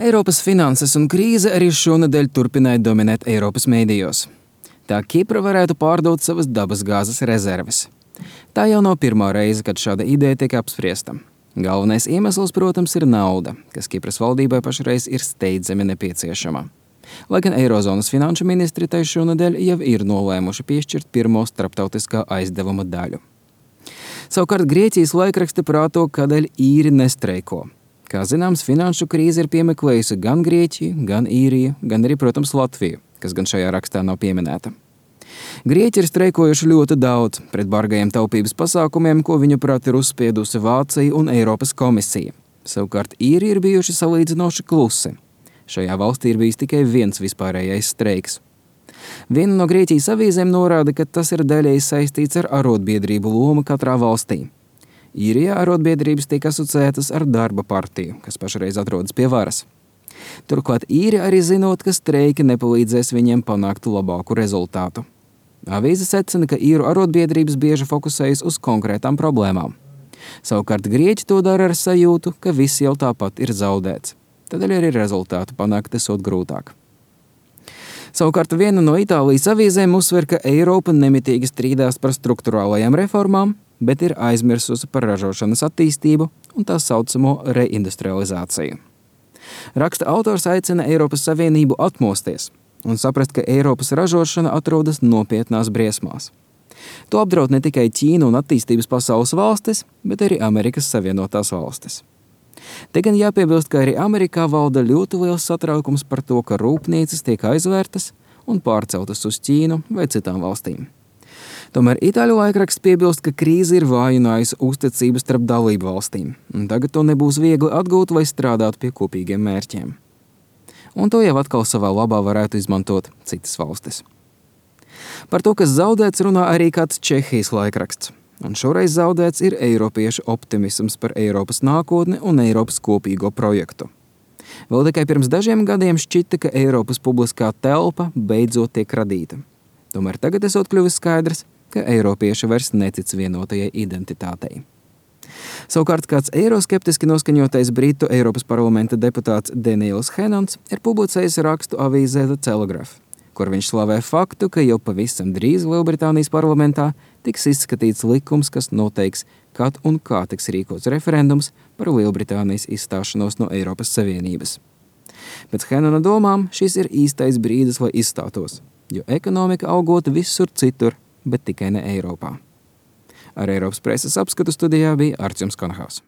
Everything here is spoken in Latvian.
Eiropas finanses un krīze arī šonedēļ turpināja dominēt Eiropas mēdījos. Tā Kipra varētu pārdot savas dabasgāzes rezerves. Tā jau nav pirmā reize, kad šāda ideja tiek apspriesta. Galvenais iemesls, protams, ir nauda, kas Kipras valdībai pašreiz ir steidzami nepieciešama. Lai gan Eirozonas finanšu ministri tai šonedēļ jau ir nolēmuši piešķirt pirmo starptautiskā aizdevuma daļu. Savukārt Grieķijas laikraksti prāto, kādēļ īri nestreiko. Kā zināms, finanšu krīze ir piemeklējusi gan Grieķiju, gan Īriju, gan arī, protams, Latviju, kas gan šajā rakstā nav pieminēta. Grieķi ir streikojuši ļoti daudz pret bargajiem taupības pasākumiem, ko viņuprāt ir uzspiedusi Vācija un Eiropas komisija. Savukārt Īri ir bijuši salīdzinoši klusi. Šajā valstī ir bijis tikai viens vispārējais streiks. Viena no Grieķijas avīzēm norāda, ka tas ir daļēji saistīts ar arotbiedrību lomu katrā valstī. Īrijā arotbiedrības tiek asociētas ar darba partiju, kas pašreiz atrodas pie varas. Turklāt īri arī zinot, ka streiki nepalīdzēs viņiem panākt labāku rezultātu. Avīze secina, ka īru arotbiedrības bieži fokusējas uz konkrētām problēmām. Savukārt Grieķi to dara ar sajūtu, ka viss jau tāpat ir zaudēts. Tādēļ arī rezultātu panākt esot grūtāk. Savukārt viena no Itālijas avīzēm uzsver, ka Eiropa nemitīgi strīdās par strukturālajām reformām, bet ir aizmirsusi par ražošanas attīstību un tā saucamo reindustrializāciju. Raksta autors aicina Eiropas Savienību atmosties un saprast, ka Eiropas ražošana atrodas nopietnās briesmās. To apdraud ne tikai Ķīna un attīstības pasaules valstis, bet arī Amerikas Savienotās valstis. Te gan jāpiebilst, ka arī Amerikā valda ļoti liels satraukums par to, ka rūpnīcas tiek aizvērtas un pārceltas uz Ķīnu vai citām valstīm. Tomēr Itāļu laikraksts piebilst, ka krīze ir vājinājusi uzticību starp dalību valstīm, un tagad to nebūs viegli atgūt vai strādāt pie kopīgiem mērķiem. Un to jau atkal savā labā varētu izmantot citas valstis. Par to, kas zaudēts, runā arī kāds Čehijas laikraksts, un šoreiz zaudēts ir eiropiešu optimisms par Eiropas nākotni un Eiropas kopīgo projektu. Vēl tikai pirms dažiem gadiem šķita, ka Eiropas publiskā telpa beidzot tiek radīta. Tomēr tagad esot kļuvis skaidrs, ka eiropieši vairs netic vienotajai identitātei. Savukārt kāds eiroskeptiski noskaņotais Britu Eiropas parlamenta deputāts Daniels Hennons ir publicējis rakstu avīzē The Telegraph, kur viņš slavē faktu, ka jau pavisam drīz Lielbritānijas parlamentā tiks izskatīts likums, kas noteiks, kad un kā tiks rīkots referendums par Lielbritānijas izstāšanos no Eiropas Savienības. Pēc Hennona domām šis ir īstais brīdis, lai izstātos, jo ekonomika augot visur citur, bet tikai ne Eiropā. Ar Eiropas preses apskatu studijā bija Artjums Konhaus.